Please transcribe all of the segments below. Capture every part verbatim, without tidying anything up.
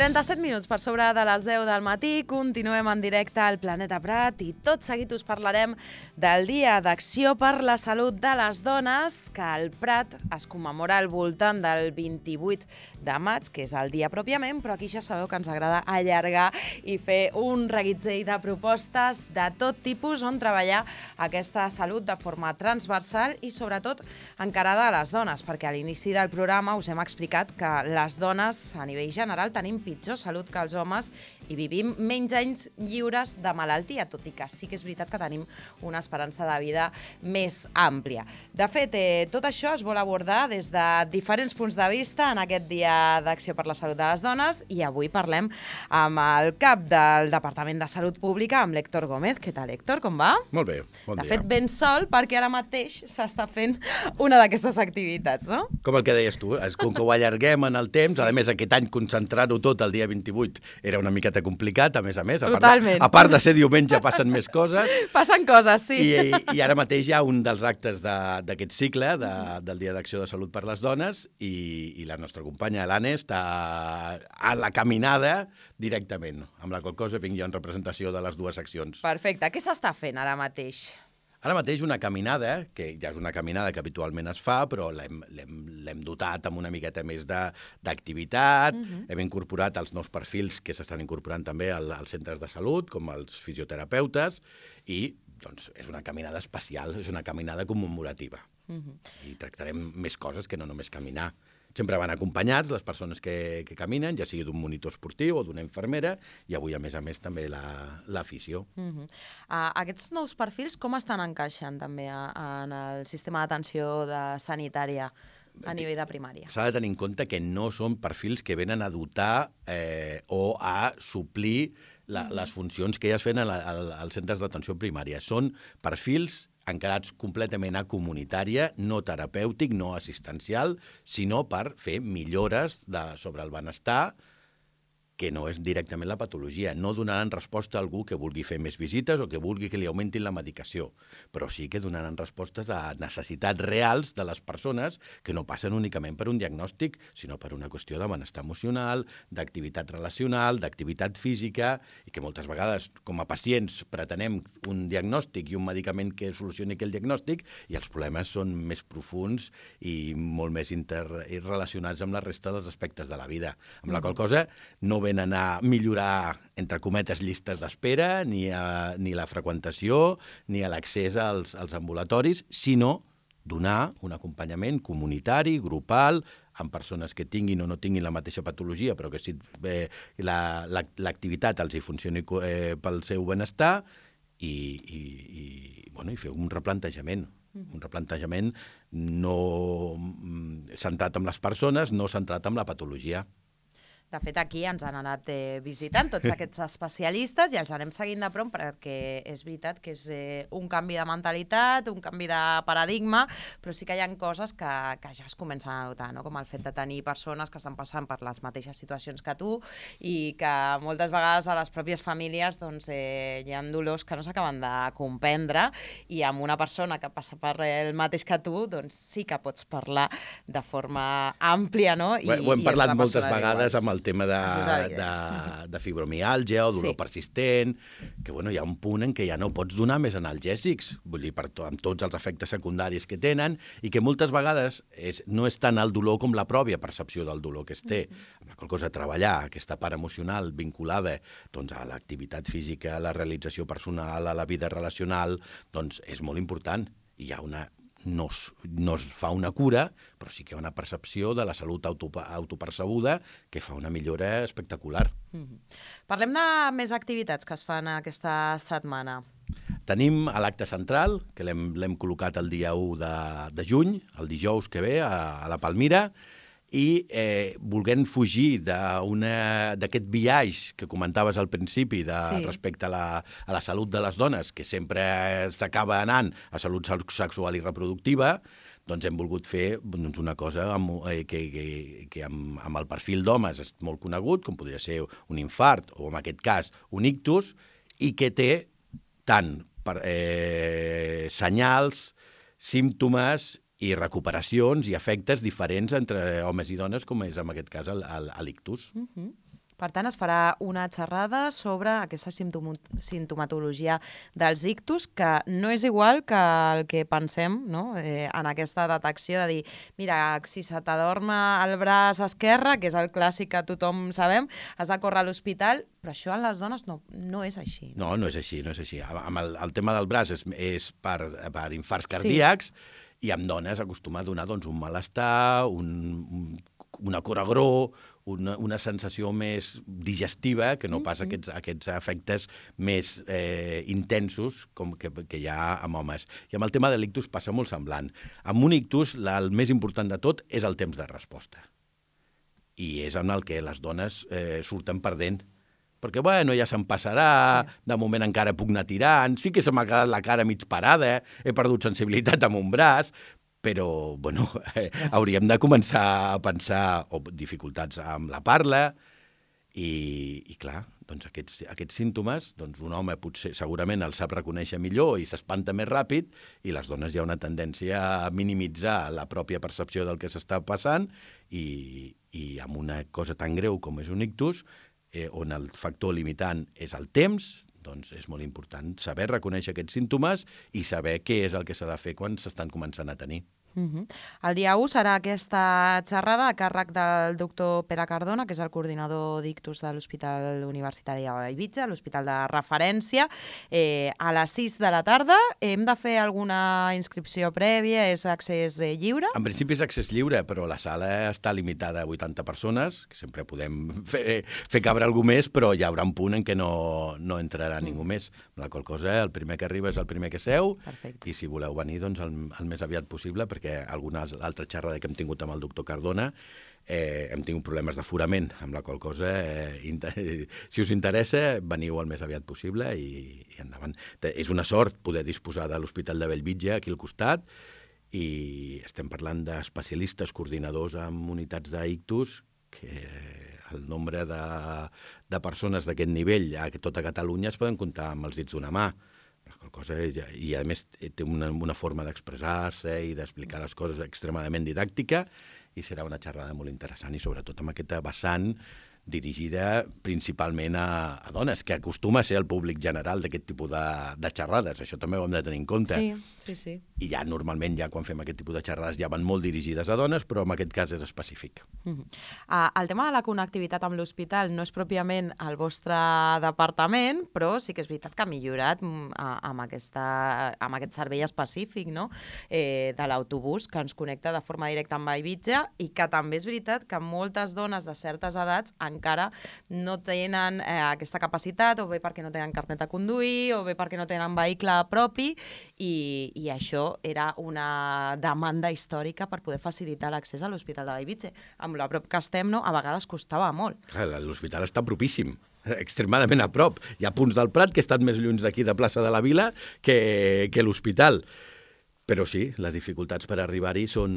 trenta-set minuts per sobre de les deu del matí, continuem en directe al Planeta Prat i tot seguit us parlarem del Dia d'Acció per la Salut de les Dones, que al Prat es commemora al voltant del vint-i-vuit de maig, que és el dia pròpiament, però aquí ja sabeu que ens agrada allargar i fer un reguitzell de propostes de tot tipus on treballar aquesta salut de forma transversal i sobretot encarada a les dones, perquè a l'inici del programa us hem explicat que les dones a nivell general tenim pitjor salut que els homes i vivim menys anys lliures de malaltia, tot i que sí que és veritat que tenim una esperança de vida més àmplia. De fet, eh, tot això es vol abordar des de diferents punts de vista en aquest Dia d'Acció per la Salut de les Dones i avui parlem amb el cap del Departament de Salut Pública, amb l'Héctor Gómez. Què tal, Héctor? Com va? Molt bé, bon dia. dia. De fet, ben sol, perquè ara mateix s'està fent una d'aquestes activitats, no? Com el que deies tu, és com que ho allarguem en el temps, sí. A més, aquest any concentrar-ho tot el dia vint-i-vuit era una miqueta complicat, a més a més. A Totalment. Part de, a part de ser diumenge passen més coses. Passen coses, sí. I, i, i ara mateix hi ha un dels actes d'aquest cicle, de, del Dia d'Acció de Salut per les Dones, i, i la nostra companya, l'Anne, està a la caminada directament, amb la qual cosa vinc jo en representació de les dues seccions. Perfecte. Què s'està fent ara mateix? Ara mateix una caminada, que ja és una caminada que habitualment es fa, però l'hem dotat amb una miqueta més d'activitat, uh-huh. Hem incorporat els nous perfils que s'estan incorporant també al, als centres de salut, com els fisioterapeutes, i doncs, és una caminada especial, és una caminada commemorativa. Uh-huh. I tractarem més coses que no només caminar. Sempre van acompanyats les persones que, que caminen, ja sigui d'un monitor esportiu o d'una infermera, i avui, a més a més, també l'afició. La, uh-huh. uh, aquests nous perfils com estan encaixant també a, en el sistema d'atenció de sanitària a nivell de primària? S'ha de tenir en compte que no són perfils que venen a dotar eh, o a suplir la, uh-huh. les funcions que ja es fan als centres d'atenció primària. Són perfils encarats completament a comunitària, no terapèutic, no assistencial, sinó per fer millores de, sobre el benestar, que no és directament la patologia. No donaran resposta a algú que vulgui fer més visites o que vulgui que li augmentin la medicació, però sí que donaran respostes a necessitats reals de les persones que no passen únicament per un diagnòstic, sinó per una qüestió de benestar emocional, d'activitat relacional, d'activitat física, i que moltes vegades, com a pacients, pretenem un diagnòstic i un medicament que solucioni aquell diagnòstic, i els problemes són més profuns i molt més interrelacionats amb la resta dels aspectes de la vida. Amb la qual cosa, no venen a millorar, entre cometes, llistes d'espera, ni, a, ni la freqüentació, ni a l'accés als, als ambulatoris, sinó donar un acompanyament comunitari, grupal, amb persones que tinguin o no tinguin la mateixa patologia, però que si eh, l'activitat la, la, els hi funcioni eh, pel seu benestar, i, i, i, bueno, i fer un replantejament. Un replantejament no centrat en les persones, no centrat en la patologia. De fet, aquí ens han anat eh, visitant tots aquests especialistes i els anem seguint de prop perquè és veritat que és eh, un canvi de mentalitat, un canvi de paradigma, però sí que hi ha coses que, que ja es comencen a notar, no? Com el fet de tenir persones que estan passant per les mateixes situacions que tu i que moltes vegades a les pròpies famílies doncs, eh, hi ha dolors que no s'acaben de comprendre, i amb una persona que passa per el mateix que tu, doncs sí que pots parlar de forma àmplia, no? I, ho hem i parlat moltes vegades amb el tema de, de, de fibromiàlgia o dolor sí. persistent, que bueno, hi ha un punt en què ja no pots donar més analgèsics, vull dir, per to, amb tots els efectes secundaris que tenen, i que moltes vegades és, no és tant el dolor com la pròpia percepció del dolor que es té. Mm-hmm. Amb la qual cosa, treballar aquesta part emocional vinculada doncs, a l'activitat física, a la realització personal, a la vida relacional, doncs és molt important. I hi ha una... No es, no es fa una cura, però sí que hi ha una percepció de la salut autopercebuda que fa una millora espectacular. Mm-hmm. Parlem de més activitats que es fan aquesta setmana. Tenim a l'acte central, que l'hem col·locat el dia u de, de juny, el dijous que ve, a, a la Palmira, i eh, volent fugir d'aquest biaix que comentaves al principi de, sí. respecte a la, a la salut de les dones, que sempre s'acaba anant a salut sexual i reproductiva, doncs hem volgut fer doncs, una cosa amb, eh, que, que, que amb, amb el perfil d'homes és molt conegut, com podria ser un infart o, en aquest cas, un ictus, i que té tant per, eh, senyals, símptomes i recuperacions i efectes diferents entre homes i dones, com és en aquest cas l'ictus. Uh-huh. Per tant, es farà una xerrada sobre aquesta simptomatologia dels ictus, que no és igual que el que pensem, no? eh, en aquesta detecció de dir, mira, si se t'adorma el braç esquerre, que és el clàssic que tothom sabem, has de córrer a l'hospital, però això en les dones no, no és així. No, no és així, no és així. Amb el, el tema del braç és, és per, per infarts cardíacs, sí. I amb dones acostuma a donar doncs, un malestar, un, un, una coragró, una, una sensació més digestiva, que no pas aquests, aquests efectes més eh, intensos com que, que hi ha amb homes. I amb el tema de l'ictus passa molt semblant. Amb un ictus, la, el més important de tot és el temps de resposta. I és en el que les dones eh, surten perdent. Perquè, bueno, ja se'm passarà, de moment encara puc anar tirant, sí que se m'ha quedat la cara mig parada, he perdut sensibilitat amb un braç, però, bueno, eh, hauríem de començar a pensar, o dificultats amb la parla, i, i clar, doncs aquests, aquests símptomes, doncs un home potser segurament els sap reconèixer millor i s'espanta més ràpid, i les dones hi ha una tendència a minimitzar la pròpia percepció del que s'està passant, i, i amb una cosa tan greu com és un ictus, Eh, on el factor limitant és el temps, doncs és molt important saber reconèixer aquests símptomes i saber què és el que s'ha de fer quan s'estan començant a tenir. Uh-huh. El dia u serà aquesta xerrada a càrrec del doctor Pere Cardona, que és el coordinador d'ictus de l'Hospital Universitari de Bellvitge, l'hospital de referència, eh, a les sis de la tarda. Hem de fer alguna inscripció prèvia? És accés eh, lliure? En principi és accés lliure, però la sala està limitada a vuitanta persones, que sempre podem fer, fer cabre algú més, però hi haurà un punt en què no, no entrarà mm. ningú més. La qual cosa, el primer que arriba és el primer que seu. Perfecte. I si voleu venir, doncs el, el més aviat possible, perquè perquè alguna altra xerrada que hem tingut amb el doctor Cardona eh, hem tingut problemes d'aforament, amb la qual cosa, eh, si us interessa, veniu el més aviat possible i, i endavant. És una sort poder disposar de l'Hospital de Bellvitge aquí al costat, i estem parlant d'especialistes, coordinadors amb unitats d'ictus, que el nombre de, de persones d'aquest nivell a tota Catalunya es poden comptar amb els dits d'una mà. Cosa, i a més té una, una forma d'expressar-se i d'explicar les coses extremadament didàctica, i serà una xerrada molt interessant, i sobretot amb aquesta vessant dirigida principalment a, a dones, que acostuma a ser el públic general d'aquest tipus de, de xerrades. Això també ho hem de tenir en compte. Sí, sí, sí. I ja normalment, ja quan fem aquest tipus de xerrades, ja van molt dirigides a dones, però en aquest cas és específic. Uh-huh. uh, el tema de la connectivitat amb l'hospital no és pròpiament el vostre departament, però sí que és veritat que ha millorat uh, amb, aquesta, amb aquest servei específic, no? eh, de l'autobús, que ens connecta de forma directa amb Bellvitge, i que també és veritat que moltes dones de certes edats encara no tenen eh, aquesta capacitat, o bé perquè no tenen carnet de conduir, o bé perquè no tenen vehicle propi, i, i això era una demanda històrica per poder facilitar l'accés a l'Hospital de Bellvitge. Amb la prop que estem, no, a vegades costava molt. L'hospital està propíssim, extremadament a prop. Hi ha punts del Prat que estan més lluny d'aquí de plaça de la Vila que, que l'hospital. Però sí, les dificultats per arribar-hi són,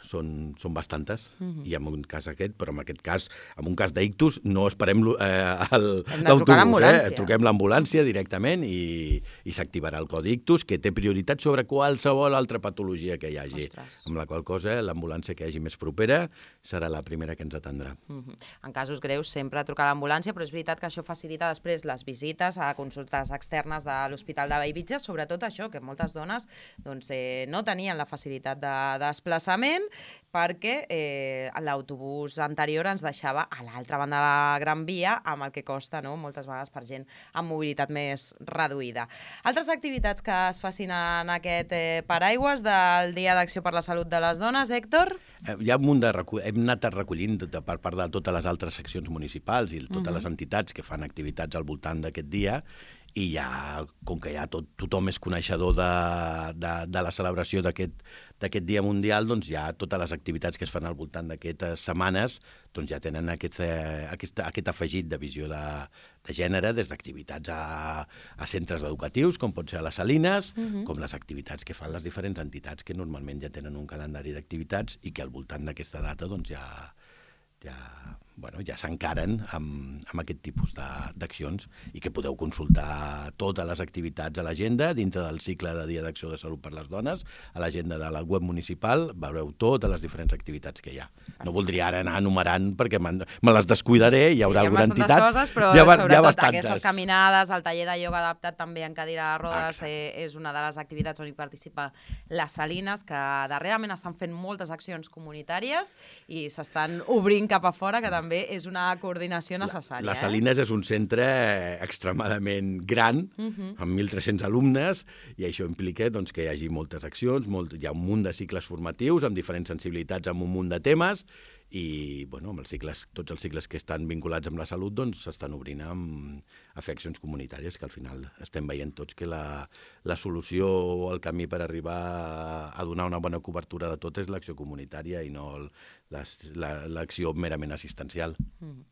són, són bastantes, uh-huh. i en un cas aquest, però en aquest cas, en un cas d'ictus, no esperem eh, l'autobús, eh? Truquem l'ambulància directament i, i s'activarà el codi ictus, que té prioritat sobre qualsevol altra patologia que hi hagi. Ostres. Amb la qual cosa, l'ambulància que hi hagi més propera serà la primera que ens atendrà. Uh-huh. En casos greus, sempre trucar l'ambulància, però és veritat que això facilita després les visites a consultes externes de l'Hospital de Bellvitge, sobretot això, que moltes dones doncs, eh, no tenien la facilitat de desplaçament perquè eh, l'autobús anterior ens deixava a l'altra banda de la Gran Via, amb el que costa, no?, moltes vegades per gent amb mobilitat més reduïda. Altres activitats que es facin en aquest eh, paraigües del Dia d'Acció per la Salut de les Dones, Héctor? Eh, hi ha un munt de recull... Hem anat recollint de, per part de totes les altres seccions municipals i totes uh-huh. les entitats que fan activitats al voltant d'aquest dia, i ja, com que ja tot, tothom és coneixedor de, de, de la celebració d'aquest d'aquest Dia Mundial, doncs ja totes les activitats que es fan al voltant d'aquestes setmanes doncs ja tenen aquest, eh, aquest, aquest afegit de visió de, de gènere, des d'activitats a, a centres educatius, com pot ser a les Salines, uh-huh. com les activitats que fan les diferents entitats que normalment ja tenen un calendari d'activitats i que al voltant d'aquesta data doncs ja, ja bueno, ja s'encaren amb, amb aquest tipus d'accions i que podeu consultar totes les activitats a l'agenda dintre del cicle de Dia d'Acció de Salut per les Dones. A l'agenda de la web municipal veureu totes les diferents activitats que hi ha. No voldria ara anar enumerant perquè me les descuidaré, hi haurà sí, hi ha alguna entitat. Coses, però hi ha, sobretot hi ha bastantes. Aquestes caminades, el taller de ioga adaptat també en cadira de rodes eh, és una de les activitats on hi participa les Salines, que darrerament estan fent moltes accions comunitàries i s'estan obrint cap a fora, que també és una coordinació necessària. La, la Salines eh? és un centre extremadament gran, uh-huh. amb mil tres-cents alumnes, i això implica doncs, que hi hagi moltes accions, molt, hi ha un munt de cicles formatius amb diferents sensibilitats, amb un munt de temes, i bueno, amb els cicles, tots els cicles que estan vinculats amb la salut doncs s'estan obrint amb, a fer accions comunitàries, que al final estem veient tots que la, la solució o el camí per arribar a donar una bona cobertura de tot és l'acció comunitària i no l'acció la, merament assistencial. Mm.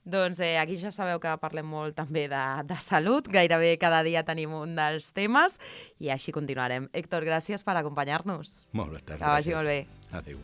Doncs eh, aquí ja sabeu que parlem molt també de, de salut, gairebé cada dia tenim un dels temes i així continuarem. Héctor, gràcies per acompanyar-nos. Molt bé, gràcies. Que vagi molt bé. Adéu.